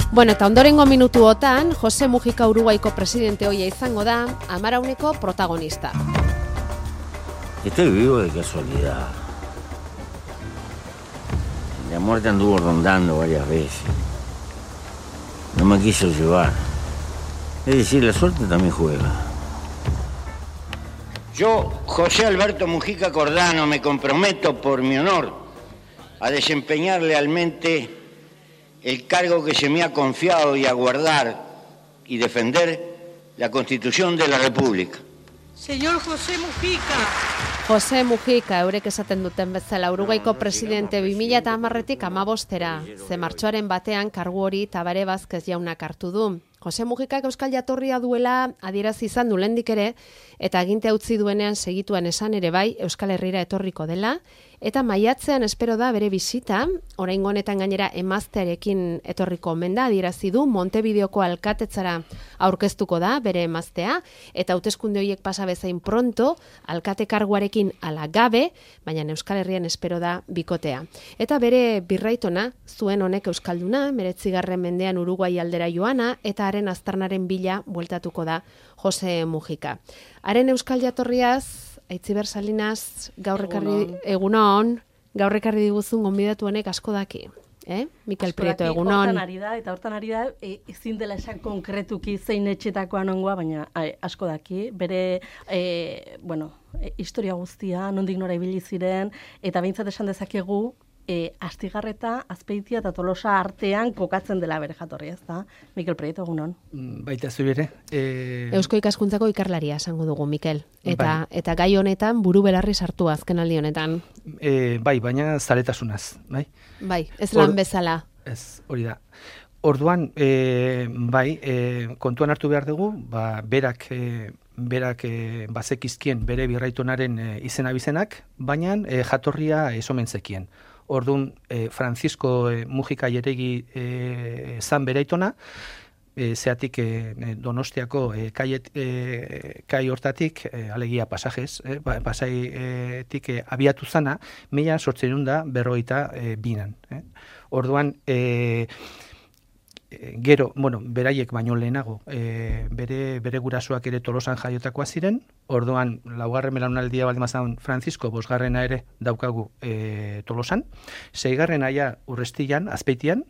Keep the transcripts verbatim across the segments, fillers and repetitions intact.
Bueno, eta ondorengo minutuotan, Jose Mujica Uruguaiko presidente hoia izango da, amarauneko protagonista. Estoy vivo de casualidad. La muerte anduvo rondando varias veces. No me quiso llevar. Es decir, la suerte también juega. Yo, José Alberto Mujica Cordano, me comprometo por mi honor a desempeñar lealmente el cargo que se me ha confiado y a guardar y defender la Constitución de la República. Señor José Mujica. Jose Mujica, eurek esaten duten bezala, Uruguaiko presidente bi mila hamarretik hamabostera, ze martxoaren batean kargu hori Tabare Vázquez jaunak hartu du. Jose Mujicak euskal jatorria duela adierazi izan du lehendik ere, eta agintea utzi duenean segituan esan ere bai Euskal Herrira etorriko dela, eta maiatzean espero da bere bisita, oraingo honetan gainera emaztearekin etorriko omen da, adierazi du Montevideoko alkatetzara aurkeztuko da bere emaztea, eta hauteskunde horiek pasa bezain pronto, alkate karguarekin ala gabe, baina Euskal Herrian espero da bikotea. Eta bere birraitona, zuen honek euskalduna, meretzigarren mendean Uruguai aldera joana, eta haren aztarnaren bila bueltatuko da Jose Mujica. Haren euskal jatorriaz, Aitziber Salinas, gaur ekarri egunon, gaur ekarri diguzun gonbidatu honek asko daki. Eh? Mikel Prieto, egunon. Hortan ari da, eta hortan ari da, e, ezin dela esan konkretuki zein etxetakoa nongoa, baina ai, asko daki. Bere, e, bueno, e, historia guztia, nondik nora ibili ziren, eta behintzat esan dezakegu, E, Astigarreta, Azpeitia eta Tolosa artean kokatzen dela bere jatorria, ez da? Mikel Prieto, egunon. Baita zu ere. E... Eusko ikaskuntzako ikarlaria esango dugu, Mikel. Eta, bai. Eta gai honetan buru belarri sartu azken aldi honetan. E, bai, baina zaletasunaz, bai? Bai, ez lan bezala. Ez, hori da. Orduan, e, bai, e, kontuan hartu behar dugu, ba, berak... E, berak e, bazekizkien bere birraitonaren e, izena bizenak, baina e, jatorria ez omen zekien. Orduan, e, Francisco e, Mujica Jeregi e, zan beraitona, e, zeatik e, Donostiako e, kaiet, e, kai hortatik, e, alegia pasajes, e, pasaietik e, abiatu zana, mila sortzeirun da berroita e, binan. Eh? Orduan, e, gero, bueno, beraiek baino lehenago, e, bere, bere gurasoak ere Tolosan jaiotakoa ziren, orduan, laugarren belaunaldia baldin bazan Francisco, bosgarrena ere daukagu e, Tolosan, seigarren aia Urrestian, Azpeitian,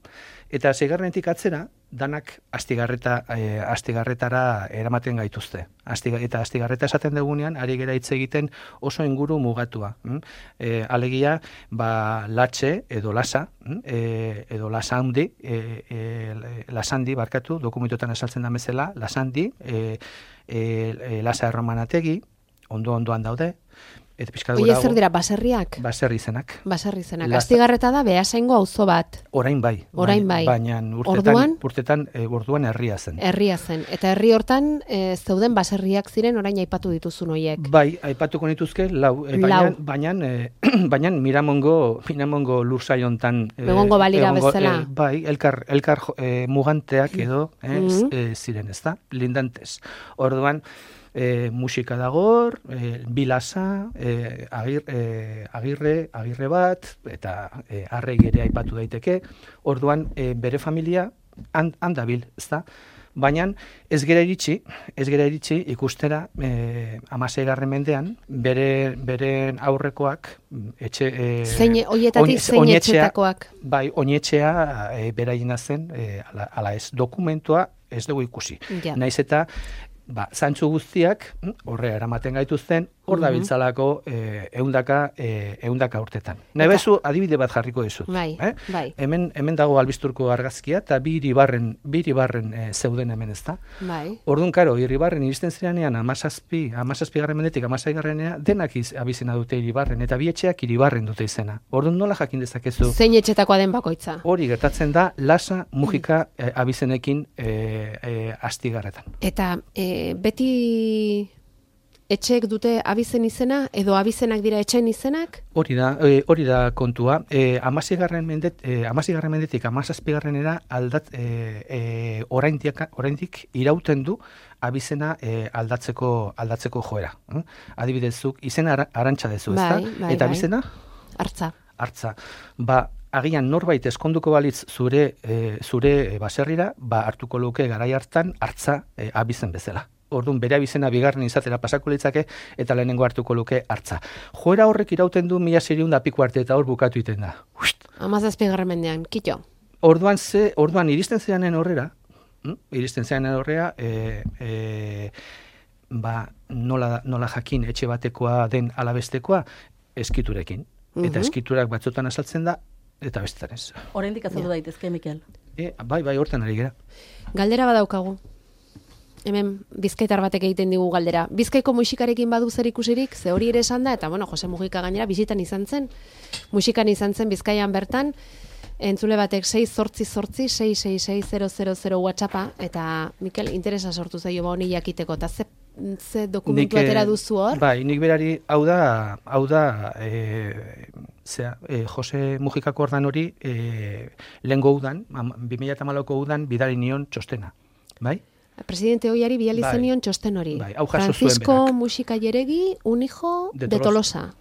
eta seigarrenetik atzera, danak Astigarreta, e, Astigarretara eramaten gaituzte. Astiga, eta Astigarreta esaten dugunean, ari gera hitz egiten oso inguru mugatua. Mm? E, alegia, ba, latxe edo lasa, e, edo lasandi, e, e, lasandi, barkatu, dokumentotan esaltzen da bezala, lasandi, e, e, e, lasa erromanategi, ondo-ondoan daude, eta pixkat Oie, zer dira, baserriak? Baserri izenak. Baserri izenak. Astigarreta da Beasaingo auzo bat. Orain bai. Orain bai. Baina urtetan, urtetan, e, orduan herria zen. Herria zen. Eta herri hortan e, zeuden baserriak ziren orain aipatu dituzun hoiek. Bai, aipatuko nituzke, lau. E, baina, lau. Baina, e, baina Miramongo, Miramongo lursai hontan. E, Egongo balira egongo, bezala. E, bai, elkar, elkar e, muganteak edo e, mm-hmm. e, ziren, ez da? Lindantes. Orduan, E, musika dagor, e, bilasa, e, agir, e, agirre, agirre bat, eta e, arrei ere aipatu daiteke. Orduan, e, bere familia handabil, ez da? Baina ez gera iritsi, ez gera iritsi ikustera e, amaseigarren mendean, bere, beren aurrekoak, etxe... E, zein, oietatik zein etxetakoak? Bai, oinetxea e, beraien zen, e, ala, ala ez, dokumentua ez dugu ikusi. Ja. Naiz eta... Ba, zantzu guztiak, horre eramaten gaituzten, hor da biltzalako eh, eundaka, eh, eundaka urtetan. Nahi bezu, adibide bat jarriko dizut. Bai, eh? bai. Hemen, hemen dago albisturko argazkia, eta bi iribarren, bi iribarren eh, zeuden hemen ez da. Bai. Orduan, karo, iribarren iristen zirenean, amazazpi, amazazpi garren mendetik, amazaigarrenea, denak iz, abizena dute iribarren, eta bi etxeak iribarren dute izena. Orduan, nola jakin dezakezu? Zein etxetakoa den bakoitza? Hori gertatzen da, Lasa Mujica eh, abizenekin eh, eh, Astigarretan. Eta, eh, beti etxeek dute abizen izena, edo abizenak dira etxen izenak? Hori da, e, hori da kontua. E, Amazigarren mendet, e, amazigarren mendetik amazazpigarrenera aldat, e, e, oraindik, oraindik irauten du abizena e, aldatzeko aldatzeko joera. Eh? Adibidez, zuk izena arantxa dezu, ezta? Bai, bai, eta bai. abizena? Artza. Artza. Ba, agian norbait eskonduko balitz zure e, zure baserrira, ba hartuko luke garai hartan hartza e, abizen bezala. Orduan bere abizena bigarren izatera pasako litzake eta lehenengo hartuko luke hartza. Joera horrek irauten du mila seiehun da piko arte eta hor bukatu iten da. hamazazpigarren mendean, kito. Orduan ze, orduan iristen zeanen horrera, hm? iristen zeanen horrera, e, e, ba, nola, nola jakin etxe batekoa den alabestekoa, eskiturekin. Eta eskiturak batzutan azaltzen da, eta bestetan ez. Oraindik azaldu daitezke, Mikel. E, bai, bai, hortan ari gera. Galdera badaukagu. Hemen bizkaitar batek egiten digu galdera. Bizkaiko musikarekin badu zer ikusirik, ze hori ere esan da, eta bueno, Jose Mujika gainera bizitan izan zen, musikan izan zen Bizkaian bertan, entzule batek sei zortzi zortzi sei sei sei zero zero zero WhatsAppa, eta Mikel, interesa sortu zaio ba honi jakiteko, eta ze, ze dokumentu atera duzu hor? Bai, nik berari, hau da, hau da, e, zera, e, Jose Mujika Kordan hori, e, lehengo udan, bi mila hamalauko udan, bidali nion txostena, bai? Presidente hoiari bidali bai, zenion txosten hori. Bai, hau jaso Francisco zuen berak. Muxika Jeregi, un hijo de, De Tolosa.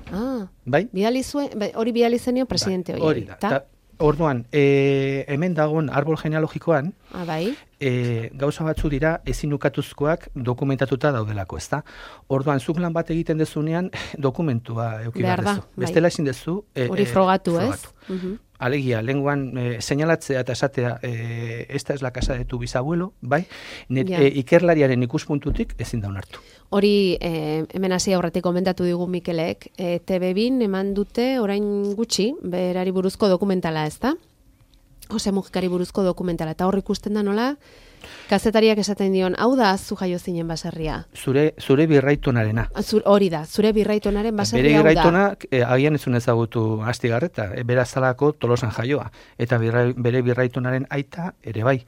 Ah, bai? Bidali zuen, hori bidali zenion presidente bai, hoiari. Hori da, ta, orduan, e, hemen dagoen arbol genealogikoan, ah, bai? E, gauza batzu dira ezin ukatuzkoak dokumentatuta daudelako, ezta? Orduan, zuk lan bat egiten dezunean dokumentua euki behar dezu. Bai. Bestela ezin dezu. E, hori frogatu, e, ez? Uh -huh. Alegia, lenguan e, señalatzea eta esatea, e, esta es la casa de tu bisabuelo, bai? Net, ja. e, ikerlariaren ikuspuntutik ezin da onartu. Hori, e, hemen hasi aurretik komentatu digu Mikelek, e, T V bin eman dute orain gutxi, berari buruzko dokumentala, ez da? Jose Mujikari buruzko dokumentala, eta hor ikusten da nola, kazetariak esaten dion, hau da zu jaio zinen baserria. Zure, zure birraitonarena. Zur, hori da, zure birraitonaren baserria bere hau da. birraitonak e, agian ezun ezagutu Astigarreta, e, berazalako Tolosan jaioa, eta birra, bere birraitonaren aita ere bai.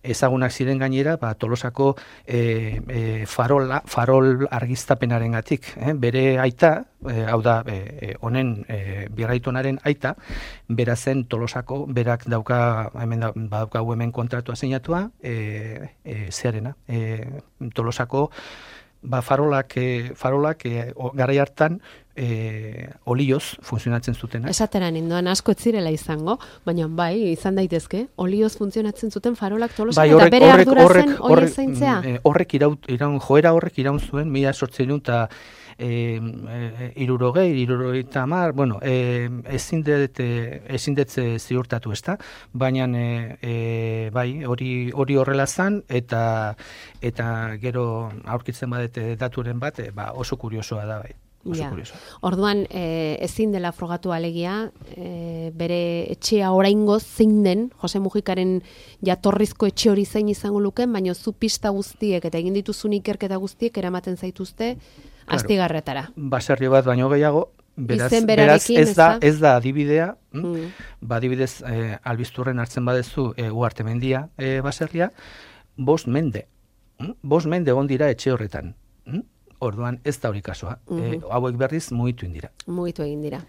Ezagunak ziren gainera, ba, Tolosako e, e, farola, farol argiztapenarengatik, eh? Bere aita, e, hau da, e, honen e, birraitonaren aita, bera zen Tolosako, berak dauka, hemen da, badaukagu hemen kontratua zeinatua, e, e, zearena, e, Tolosako, ba, farolak, e, farolak e, o, garai hartan, E, olioz funtzionatzen zutena. Esatera nindoan asko ez zirela izango, baina bai, izan daitezke, olioz funtzionatzen zuten farolak Tolosan, bai, eta bere horrek, ardura horrek, zen hori horrek, zaintzea. E, horrek iraun, iraun, joera horrek iraun zuen, mila sortzeun eta e, e, irurogei, irurogeita hamar, bueno, e, ezin dut, ezin dut ziurtatu, ezta? Baina e, e, bai, hori hori horrela zan, eta eta gero aurkitzen badete daturen bat, e, ba, oso kuriosoa da, bai. Ja. Orduan, e, ezin dela frogatu alegia, e, bere etxea oraingoz zein den, Jose Mujikaren jatorrizko etxe hori zein izango luken, baina zu pista guztiek eta egin dituzun ikerketa guztiek eramaten zaituzte claro, Astigarretara. Baserri bat baino gehiago, beraz, Izen beraz berarekin, ez, da, ez da? ez da adibidea, Mm. ba, adibidez, e, albizturren hartzen badezu e, Uarte mendia e, baserria, bost mende, mm? bost mende egon dira etxe horretan. Mm? Orduan ez da hori kasua. Mm -hmm. e, hauek berriz mugitu egin dira. Mugitu egin dira.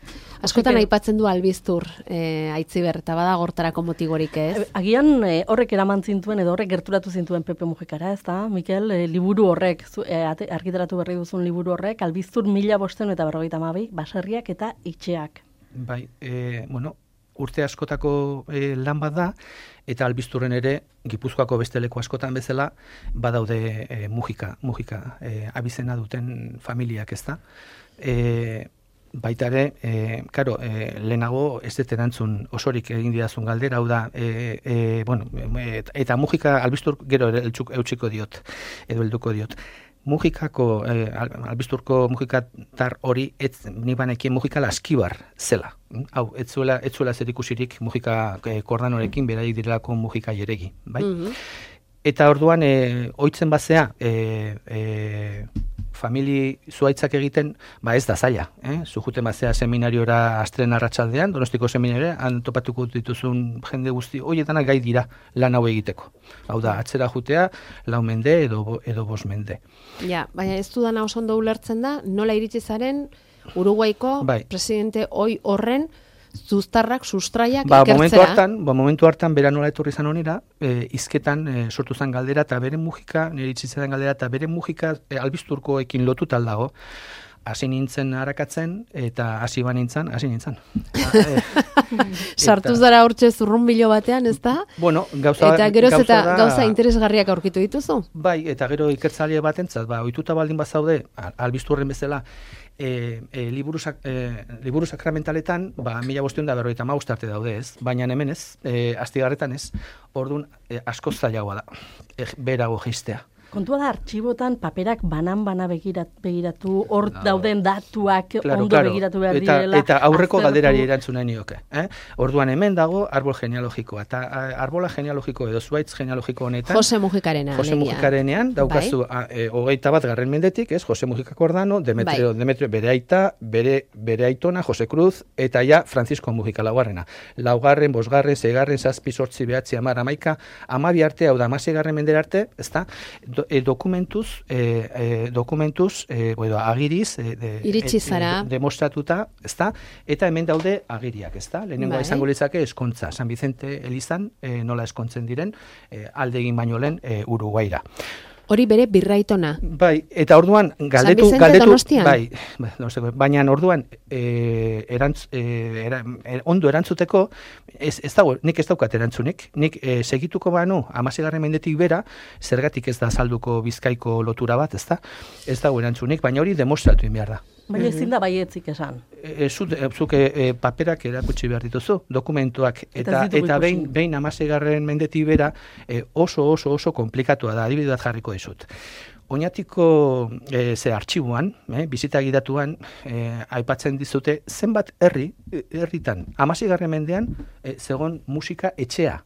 Askotan aipatzen du albiztur e, Aitziber, eta bada gortarako motigorik ez? Agian e, horrek eraman zintuen edo horrek gerturatu zintuen Pepe Mujikara, ez da, Mikel, e, liburu horrek, zu, e, argitaratu berri duzun liburu horrek, albiztur mila bosten eta berrogeita hamabi, baserriak eta itxeak. Bai, e, bueno, urte askotako e, lan bat da, eta albizturren ere, Gipuzkoako beste leku askotan bezala, badaude e, Mujika, Mujika e, abizena duten familiak, ez da. E, baita ere, e, karo, e, lehenago ez dut erantzun osorik egin didazun galdera, hau da, e, e, bueno, e, eta Mujika albiztur gero ere eutxiko diot, edo helduko diot. Mujikako, eh, albizturko mujikatar hori, ez, ni banekien Mujika Laskibar zela. Hau, ez zuela, ez zuela zer ikusirik Mujika eh, Kordanorekin, beraik direlako Mujika Jeregi, bai? Mm-hmm. Eta orduan, eh, oitzen bazea, eh, eh, famili zuaitzak egiten, ba ez da zaila, eh? Zujuten bazea seminariora astren arratsaldean, Donostiko seminarioa, han topatuko dituzun jende guzti, horietanak gai dira lan hau egiteko. Hau da, atzera jutea, lau mende edo, edo bos mende. Ja, baina ez dudana oso ondo ulertzen da, nola iritsi zaren Uruguaiko bai. Presidente hoi horren zuztarrak, sustraiak ba, ikertzera. Momentu hartan, ba, momentu hartan, bera nola etorri zan honera, e, izketan e, sortu zan galdera, eta bere Mujika, nire itzitzen galdera, eta bere Mujika e, albizturkoekin lotuta dago. hasi nintzen harakatzen, eta hasi ba nintzen, hasi nintzen. Sartu zara hortxe zurrunbilo batean, ez da? Bueno, gauza, eta geroz gauza eta da, gauza interesgarriak aurkitu dituzu? Bai, eta gero ikertzaile batentzat, ba, ohituta baldin bazaude, albiztu horren bezala, E, e, liburu, sak, e, liburu sakramentaletan, ba, mila bosteun da berroita maust arte daude ez, baina hemen ez, e, astigarretan ez, orduan e, askoz zailagoa da, e, berago jistea. Kontua da, artxibotan paperak banan-bana begirat, begiratu, hor no. dauden datuak claro, ondo claro. begiratu behar eta, direla. Eta aurreko aztertu. galderari erantzuna nioke. Eh? Orduan hemen dago arbol genealogikoa. Eta arbola genealogiko edo zuaitz genealogiko honetan. Jose Mujikarena. Jose Mujikarenean daukazu bai. a, e, hogeita bat garren mendetik, ez? Jose Mujika Cordano, Demetrio, bai. Demetrio bere aita, bere, bere aitona, Jose Cruz, eta ja Francisco Mujika laugarrena. Laugarren, bosgarren, seigarren, zazpi, sortzi, behatzi, amar, amaika, amabi arte, hau da, amaseigarren mendera arte, ez da? Do, e, dokumentuz, e, e, dokumentuz, e, edo agiriz, e, de, iritsi zara. E, demostratuta, ez da? Eta hemen daude agiriak, ez da? Lehenengoa bai. izango litzake eskontza, San Vicente Elizan, e, nola eskontzen diren, e, alde egin baino lehen e, Uruguaira. Hori bere birraitona. Bai, eta orduan galdetu, San Vicente galdetu, Donostian? Bai, baina orduan e, erantz, e, era, e, ondo erantzuteko, ez, ez dago, nik ez daukat erantzunik, nik e, segituko banu, hamaseigarren mendetik bera, zergatik ez da salduko Bizkaiko lotura bat, ez da? Ez dago erantzunik, baina hori demostratu in behar da. Baina ezin da baietzik esan. E, Zuk e, paperak erakutsi behar dituzu, dokumentuak, eta, eta, eta behin, behin hamaseigarren mendetik bera e, oso oso oso komplikatua da, adibide bat jarriko dizut. Oñatiko e, ze artxibuan, e, bizita gidatuan, e, aipatzen dizute, zenbat herri, herritan, hamaseigarren mendean, e, zegon musika etxea.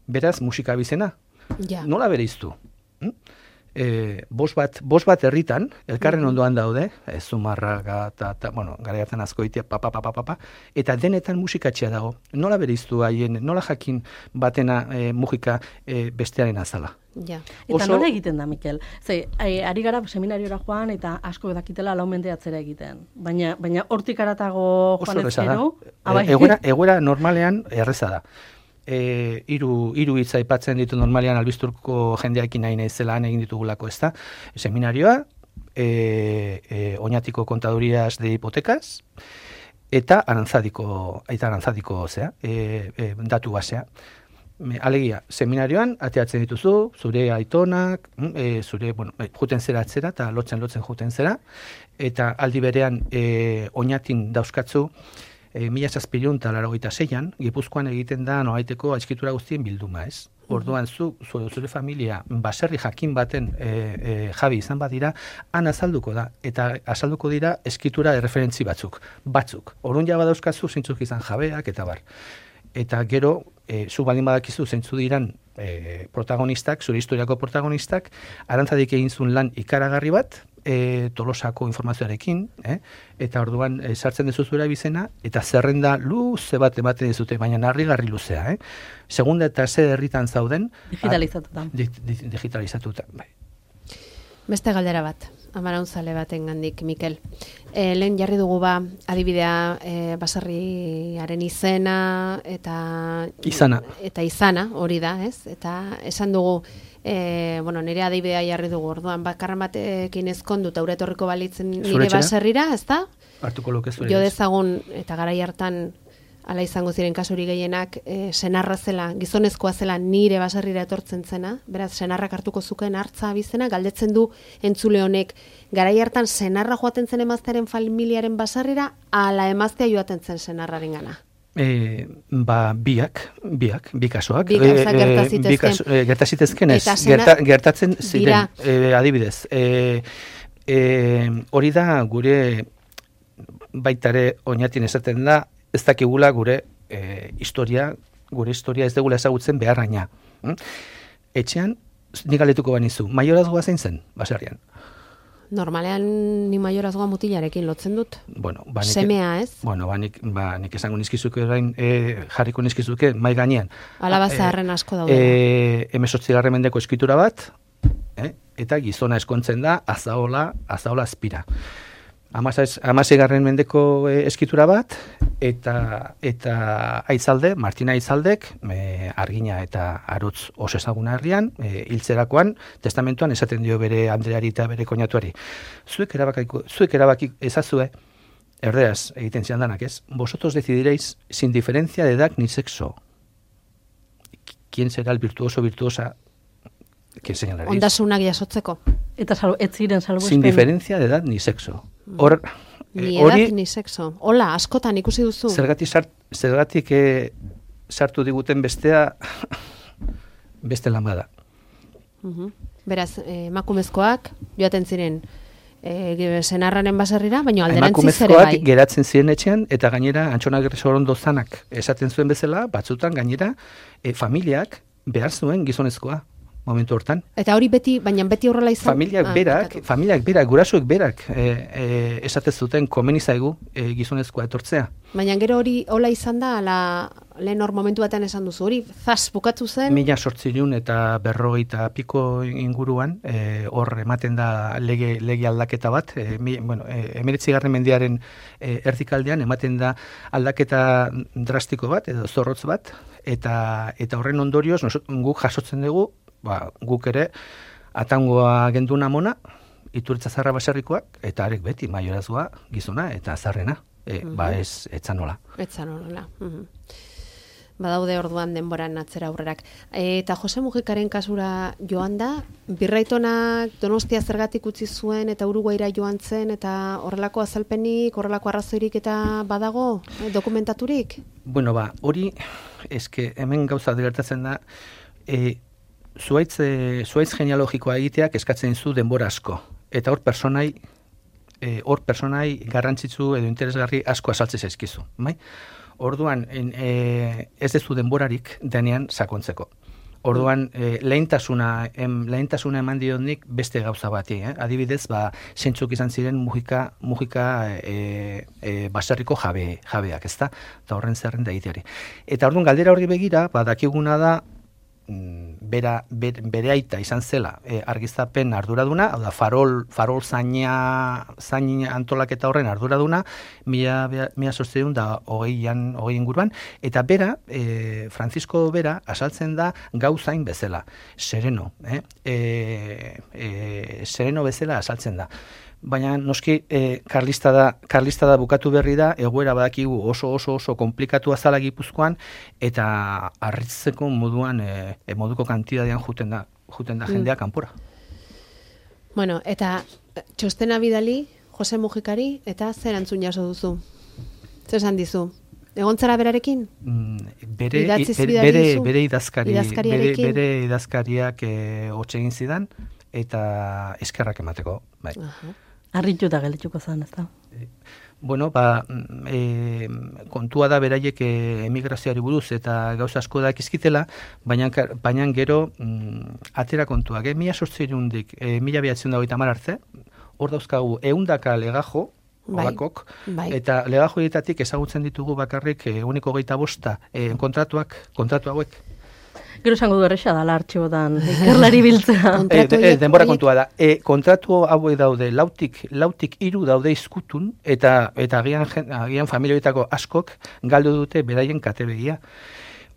Beraz, musika bizena. Ja. Nola bereiztu? Hm? E, bos bat, bos bat herritan, elkarren ondoan daude, e, Zumarraga, ta, ta, bueno, gara hartan Azkoitia, pa, pa, pa, pa, pa, eta denetan musikatxea dago. Nola bereiztu haien, nola jakin batena e, musika e, bestearen azala? Ja. Eta Oso... nola egiten da, Mikel? Ze, ari gara seminariora joan eta asko dakitela lau mende atzera egiten. Baina, baina hortik aratago joan ezkero... E, egoera, egoera normalean erreza da. E, iru, iru hitza aipatzen ditu normalean albizturko jendeakin nahi naizela egin ditugulako, ez da? Seminarioa, e, e, Oñatiko kontadurias de hipotecas, eta arantzadiko, eta arantzadiko zea, e, e, datu basea. Alegia, seminarioan, ateatzen dituzu, zure aitonak, e, zure, bueno, juten zera atzera, eta lotzen lotzen juten zera, eta aldi berean e, Oñatin dauzkatzu, E, mila zazpireun eta laurogeita seian, Gipuzkoan egiten da noaiteko atxikitura guztien bilduma, ez? Orduan zu, zu zure familia baserri jakin baten e, e, jabi izan badira, han azalduko da, eta azalduko dira eskitura erreferentzi batzuk, batzuk. Orduan ja badauzkazu zeintzuk izan jabeak eta bar. Eta gero, e, zu baldin badakizu zeintzu diran e, protagonistak, zure historiako protagonistak, arantzadik egin zuen lan ikaragarri bat, E, Tolosako informazioarekin, eh? Eta orduan e, sartzen dezu zure bizena, eta zerrenda luze bat ematen dizute, baina harrigarri luzea. Eh? Segunda eta ze herritan zauden... Digitalizatuta. Di, di, digitalizatuta, bai. Beste galdera bat, amaraunzale baten gandik, Mikel. E, lehen jarri dugu ba, adibidea e, baserriaren izena, eta... Izana. Eta izana, hori da, ez? Eta esan dugu... E, bueno, nire adibidea jarri dugu orduan, bakarren batekin ezkondu eta uretorriko balitzen nire baserrira, ez da? Hartuko luke zure. Jo dezagun, eta garai hartan ala izango ziren kasuri gehienak, e, senarra zela, gizonezkoa zela nire baserrira etortzen zena, beraz, senarrak hartuko zuken hartza bizena, galdetzen du entzule honek, garai hartan senarra joaten zen emaztearen familiaren baserrira, ala emaztea joaten zen senarraren gana. E, ba, biak, biak, bi kasoak. Bi gauzak gertazitezken. E, gertazitezken ez, gerta, gertatzen ziren, e, adibidez. E, e, hori da gure baitare Oñatin esaten da, ez dakigula gure e, historia, gure historia ez degula ezagutzen beharraina. Hm? Etxean, nik galdetuko banizu, maiorazgoa zein zen, baserrian? Normalean ni maiorazgoa mutilarekin lotzen dut. Bueno, ba, nik, semea, ez? Bueno, ba, nik, ba, nik esango nizkizuke orain, e, jarriko nizkizuke mai gainean. Alaba zaharren asko daude. E, hemezortzigarren mendeko eskitura bat, e, eta gizona eskontzen da azaola, azaola azpira. hamaseigarren mendeko e, eskitura bat, eta eta Aitzalde, Martina Aitzaldek, e, Argina eta Arutz oso ezaguna herrian, e, hiltzerakoan, testamentuan esaten dio bere Andreari eta bere koinatuari. Zuek erabakiko, zuek erabaki ezazue, erderaz egiten zian danak, ez? Vosotros decidiréis sin diferencia de edad ni sexo. ¿Quién será el virtuoso virtuosa que señalaréis? Ondasunak jasotzeko. Eta sal, ez ziren salbuespen. Sin diferencia de edad ni sexo. Hor, Ni eh, hori, edad ni sexo. Hola, askotan ikusi duzu. Zergatik sart, zergatik eh, sartu diguten bestea beste lan bada. Uh-huh. Beraz, eh, emakumezkoak joaten ziren eh, senarraren baserrira, baina alderantziz ere bai. Emakumezkoak geratzen ziren etxean, eta gainera Antxonagirre Sorondo zanak esaten zuen bezala, batzutan gainera eh, familiak behar zuen gizonezkoa. Momentu hortan. Eta hori beti, baina beti horrela izan? Familiak ah, berak, bekatu. familiak berak, gurasoek berak e, e, esatez zuten komeni zaigu e, gizonezkoa etortzea. Baina gero hori hola izan da, ala, lehen hor momentu batean esan duzu, hori zaz bukatu zen? Mila sortzireun eta berrogeita piko inguruan, e, hor ematen da lege, lege aldaketa bat, e, mi, bueno, e, emeretzigarren mendiaren e, erdikaldean ematen da aldaketa drastiko bat, edo zorrotz bat, eta, eta horren ondorioz nosot, guk jasotzen dugu, ba, guk ere atangoa genduna mona, Iturritza Zarra baserrikoak, eta arek beti maiorazgoa gizona eta zarrena. E, uh-huh. Ba ez, etzan nola. Etzan nola. Uh-huh. Badaude orduan denboran atzera aurrerak. E, eta Jose Mujikaren kasura joan da, Birraitonak Donostia zergatik utzi zuen eta Uruguaira joan zen, eta horrelako azalpenik, horrelako arrazoirik eta badago, eh, dokumentaturik? Bueno, ba, hori, eske hemen gauza gertatzen da, e, Zuaitz, e, zuaitz genealogikoa egiteak eskatzen zu denbora asko. Eta hor personai, e, hor personai garrantzitsu edo interesgarri asko azaltze zaizkizu. Bai? Orduan, en, e, ez dezu denborarik denean sakontzeko. Orduan, e, lehentasuna, em, lehentasuna eman dionik beste gauza bati. Eh? Adibidez, ba, zentzuk izan ziren Mujika, Mujika e, e, baserriko jabe, jabeak, ezta? Eta horren zerren da egiteari. Eta orduan, galdera hori begira, ba, dakiguna da, Bera, ber, bere aita izan zela e, argiztapen arduraduna, hau da, farol, farol zaina, zaina antolaketa horren arduraduna, mila, mila sortzeun da hogeian, hogei inguruan, eta bera, e, Francisco Bera, asaltzen da gauzain bezala, sereno, eh? e, e, sereno bezala asaltzen da. Baina noski e, karlista da, karlista da bukatu berri da, egoera badakigu oso oso oso komplikatu azala Gipuzkoan, eta harritzeko moduan e, e, moduko kantidadean juten da, juten da jendea kanpora. Bueno, eta txostena bidali Jose Mujikari, eta zer antzun jaso duzu? Zer esan dizu? Egontzara berarekin? Mm, bere, bere, bere, bere idazkari, bere, bere idazkariak e, hotxe egin zidan, eta eskerrak emateko, bai. Aha. Arrituta gelituko zen, ez da? Bueno, ba, e, kontua da beraiek e, emigrazioari buruz eta gauza asko dakizkitela, baina, baina gero mm, atera kontuak, eh? Mila sortzirundik, e, mila behatzen dago eta arte, hor dauzkagu eundaka legajo, olakok, bai, bai. Eta legajo dietatik ezagutzen ditugu bakarrik e, uniko geita bosta e, kontratuak, kontratu hauek. Gero esango du erresa dala artxibotan ikerlari biltzea. e, e, denbora kontua da. E, kontratu hauek daude lautik, lautik hiru daude izkutun, eta eta agian, agian familioetako askok galdu dute beraien katebegia.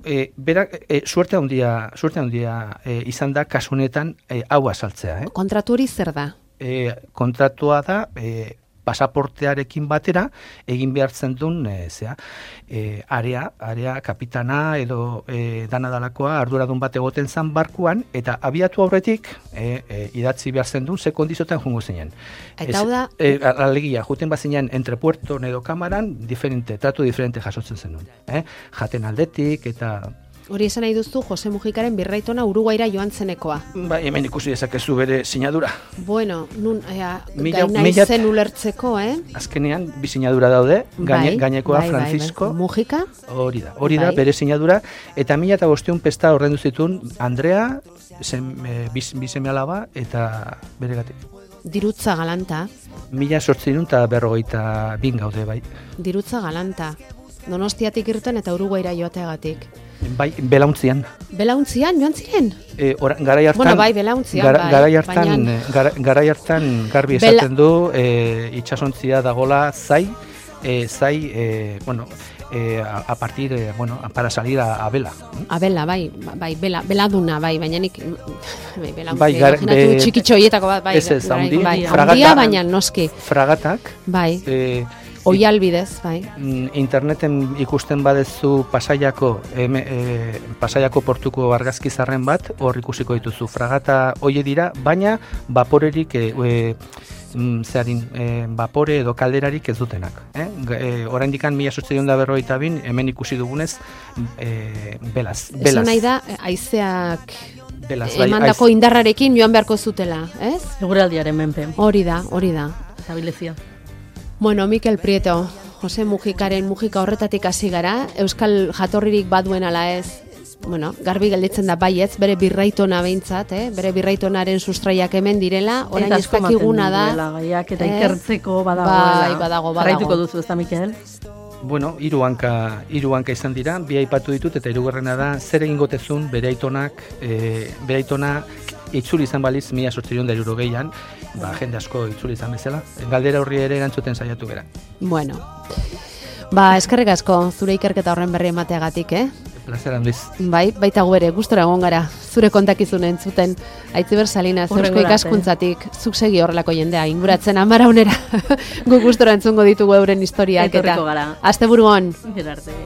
E, berak, e, suerte handia, suerte handia e, izan da kasunetan e, hau azaltzea. Eh? Kontratu hori zer da? E, kontratua da... E, pasaportearekin batera egin behartzen duen e, zea, e, area, area kapitana edo e, dana dalakoa arduradun bat egoten zan barkuan, eta abiatu aurretik e, e, idatzi behartzen duen ze kondizotan jungo zinen. Eta hau da... E, alegia, juten bazinean entre puerto edo kamaran, diferente, tratu diferente jasotzen zen duen. Eh? Jaten aldetik eta... Hori esan nahi duzu Jose Mujikaren Birraitona Uruguaira joan zenekoa. Ba, hemen ikusi dezakezu bere sinadura. Bueno, nun, ea, mila, gaina mila, izen ulertzeko, eh? Azkenean, bi sinadura daude, gaine, bai, gainekoa bai, Francisco. Bai, bai. Mujika? Hori da, hori bai. da bere sinadura, eta mila eta bosteun pesta horrendu zituen Andrea, zen, e, bizeme alaba, eta bere gatik. Dirutza galanta. Mila sortzinun eta berrogeita bin gaude, bai. Dirutza galanta. Donostiatik irten eta Uruguaira joateagatik. Bai, belauntzian. Belauntzian joan ziren? E, ora, garai hartan, bueno, bai, belauntzian, gara, bai. Garai hartan, baina... gara, garai hartan garbi Bela... esaten du, e, itsasontzia dagola zai, e, zai, e, bueno, e, a, a partir, e, bueno, para salir a, a vela. A vela, bai, bai, bela, beladuna, bai, baina nik, bai, belauntzi, bai, gar, imaginatu txikitxo hietako bat, bai, ez ez, handi, bai, fragata, handia, baina noski. Fragatak, bai, e, oihalbidez, bai. Interneten ikusten badezu Pasaiako, eme, e, Pasaiako portuko argazkizarren bat, hor ikusiko dituzu fragata hoie dira, baina vaporerik, e, e, zeharin, e, vapore edo kalderarik ez dutenak. Eh? E, oraindikan mila zortziehun eta berrogeita bin, hemen ikusi dugunez, e, belaz. belaz. Esan nahi da, haizeak belaz, bai, emandako aiz... indarrarekin joan beharko zutela, ez? Eguraldiaren menpe. Hori da, hori da. Estabilizia. Bueno, Mikel Prieto, Jose Mujikaren Mujika horretatik hasi gara, euskal jatorririk baduen ala ez, bueno, garbi gelditzen da baietz, bere birraitona behintzat, eh? Bere birraitonaren sustraiak hemen direla, orain ez dakiguna da. Gaiak eta eh? ikertzeko badagoela. Bai, badago, badago. Jarraituko duzu, ez da, Mikel? Bueno, hiru hanka, hiru hanka izan dira, bi aipatu ditut eta hirugarrena da zer egingotezun bere aitonak, e, bere aitona itzuli izan baliz mila zortziehun eta hirurogeian, ba, jende asko itzuli izan bezala. Galdera horri ere erantzuten saiatu gara. Bueno, ba, eskerrik asko zure ikerketa horren berri emateagatik, eh? Plazer handiz. Bai, baita gu ere, gustora egon gara, zure kontakizun entzuten. Aitziber Salinas, Eusko Ikaskuntzatik, zuk segi horrelako jendea, inguratzen amara honera. Gu gustora entzungo ditugu euren historiak. Etorriko gara. Asteburu on. Gerarte.